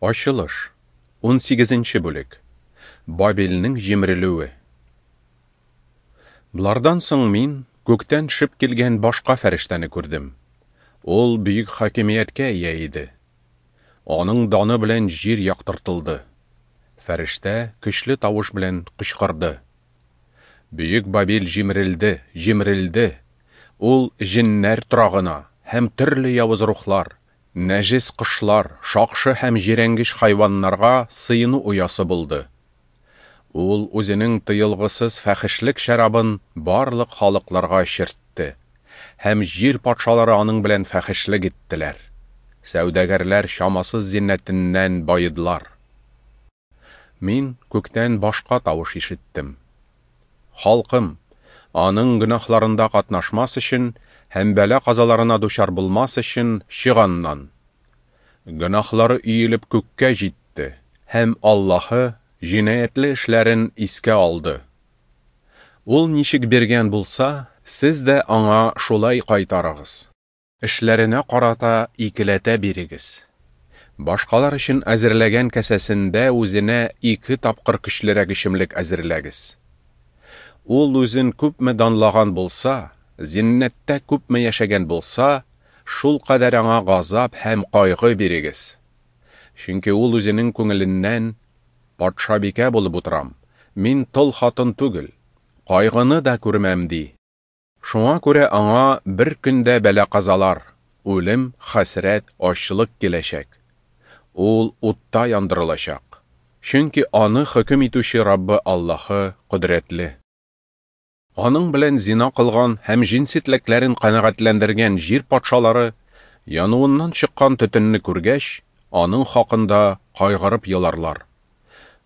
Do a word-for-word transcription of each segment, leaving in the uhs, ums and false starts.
Ачылыш, унсигезенче бүлек. Бабилнең җимерелүе. Болардан соң мин күктән төшеп килгән башка фәрештәне күрдем. Ул бөек хакимияткә ия иде. Аның даны белән җир яктыртылды. Фәрештә көчле тавыш белән кычкырды: Бөек Бабил җимерелде, җимерелде. Ул җеннәр торагына һәм төрле явыз рухлар, нәҗес кошлар, шакшы һәм җирәнгеч хайваннарга сыену оясы булды. Ул үзенең тыелгысыз фәхешлек шәрабын барлык халыкларга эчертте, һәм җир патшалары аның белән фәхешлек иттеләр. Сәүдәгәрләр чамасыз зиннәтеннән баедылар. Мин күктән башка тавыш ишеттем. Халкым, аның гөнаһларында катнашмас өчен һәм бәла-казаларына дучар булмас өчен чык аннан. Гөнаһлары өелеп күккә җитте, һәм Аллаһы җинаятьле эшләрен искә алды. Ул ничек биргән булса, сез дә аңа шулай кайтарыгыз. Эшләренә карата икеләтә бирегез. Башкалар өчен әзерләгән кәсәсендә үзенә ике тапкыр көчлерәк эчемлек әзерләгез. Ул үзен күпме данлаган булса, зиннәттә күпме яшәгән булса, шул кадәр аңа газап һәм кайгы бирегез. Чөнки ул үзенең күңеленнән: «Патшабикә булып утырам, мин тол хатын түгел, кайгыны да күрмәм», ди. Шуңа күрә аңа бер көндә бәла-казалар, үлем, хәсрәт, ачлык киләчәк. Ул утта яндырылачак. Чөнки аны хөкем итүче Раббы Аллаһы кодрәтле. Аның белән зина кылган һәм җенси теләкләрен канәгатьләндергән җир патшалары, януыннан чыккан төтенне күргәч, аның хакында кайгырып еларлар.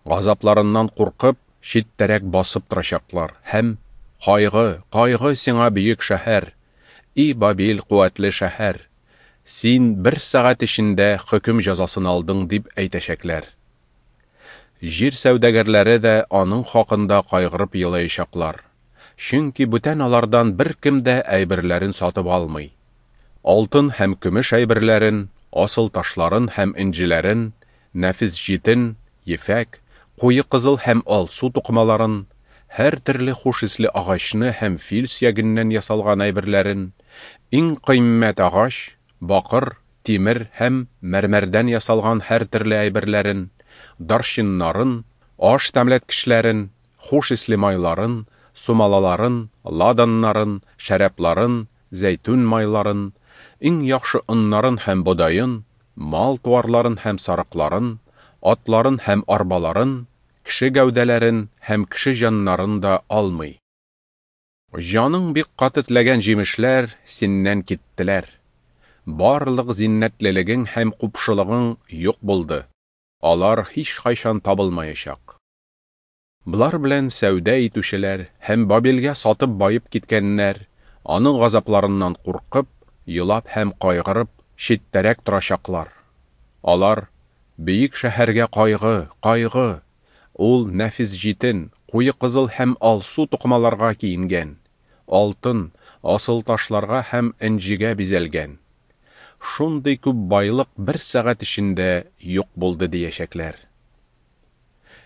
Газапларыннан куркып, читтәрәк басып торачаклар һәм: «Кайгы, кайгы сиңа, бөек шәһәр, и Бабил куәтле шәһәр, син бер сәгать эчендә хөкем җәзасын алдың», дип әйтәчәкләр. Җир сәүдәгәрләре дә аның хакында кайгырып елаячаклар. Чөнки бүтән алардан беркем дә әйберләрен сатып алмый. Алтын һәм көмеш әйберләрен, асыл ташларын һәм энҗеләрен, нәфис җитен, ефәк, куе кызыл һәм алсу тукымаларын, һәр төрле хуш исле агачны һәм фил сөягеннән ясалган әйберләрен, иң кыйммәт агач, бакыр, тимер һәм мәрмәрдән ясалган һәр төрле әйберләрен, дарчиннарын, аш тәмләткечләрен, хуш исле майларын, сумалаларын, ладаннарын, шәрабларын, зәйтүн майларын, иң яхшы оннарын һәм бодаен, мал-туарларын һәм сарыкларын, атларын һәм арбаларын, кеше гәүдәләрен һәм кеше җаннарын да алмый. Җаның бик каты теләгән җимешләр синнән киттеләр. Барлык зиннәтлелегең һәм купшылыгың юк булды. Алар һич кайчан табылмаячак. Болар белән сәүдә итүчеләр һәм Бабилгә сатып баеп киткәннәр, аның газапларыннан куркып, елап һәм кайгырып, читтәрәк торачаклар. Алар: «Бөек шәһәргә кайгы, кайгы! Ул нәфис җитен, куе кызыл һәм алсу тукымаларга киенгән, алтын, асыл ташларга һәм энҗегә бизәлгән. Шундый күп байлык бер сәгать эчендә юк булды», диячәкләр.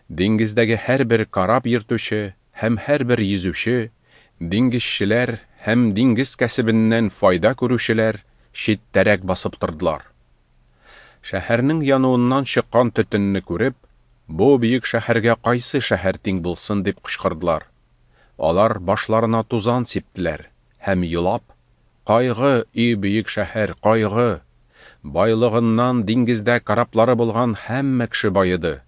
Диңгездәге һәрбер кораб йөртүче һәм һәрбер йөзүче, диңгезчеләр һәм диңгез кәсебеннән файда күрүчеләр читтәрәк басып тордылар. Шәһәрнең януыннан чыккан төтенне күреп, «Бу бөек шәһәргә кайсы шәһәр тиң булсын?» дип кычкырдылар. Алар башларына тузан сиптеләр һәм елап: «Кайгы, и бөек шәһәр, кайгы! Байлыгыннан диңгездә кораблары булган һәммә кеше баеды.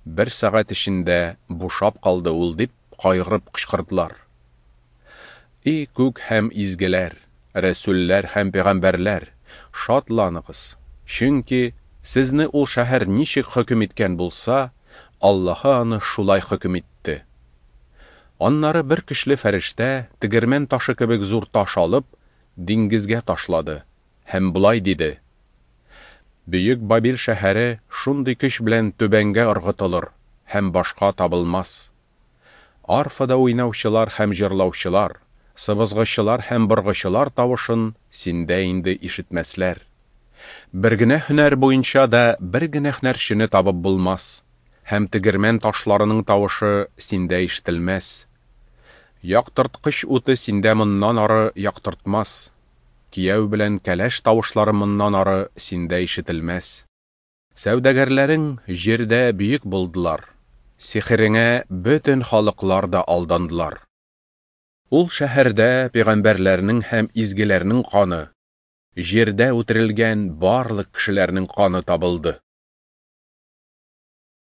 Бер сәгать эчендә бушап калды ул», дип кайгырып кычкырдылар. И күк һәм изгеләр, рәсүлләр һәм пәйгамбәрләр, шатланыгыз, чөнки сезне ул шәһәр ничек хөкем иткән булса, Аллаһы аны шулай хөкем итте. Аннары бер көчле фәрештә тегермән ташы кебек зур таш алып, диңгезгә ташлады һәм болай диде: Бөек Бабил шәһәре шундый көч белән түбәнгә ыргытылыр һәм башка табылмас. Арфада уйнаучылар һәм җырлаучылар, сыбызгычылар һәм боргычылар тавышын синдә инде ишетмәсләр. Бер генә һөнәр буенча да бер генә һөнәрчене табып булмас, һәм тегермән ташларының тавышы синдә ишетелмәс. Яктырткыч уты синдә моннан ары яктыртмас, кияү белән кәләш тавышлары моннан ары синдә ишетелмәс. Сәүдәгәрләрең җирдә бөек булдылар, сихереңә бөтен халыклар да алдандылар. Ул шәһәрдә пәйгамбәрләрнең һәм изгеләрнең каны, җирдә үтерелгән барлык кешеләрнең каны табылды.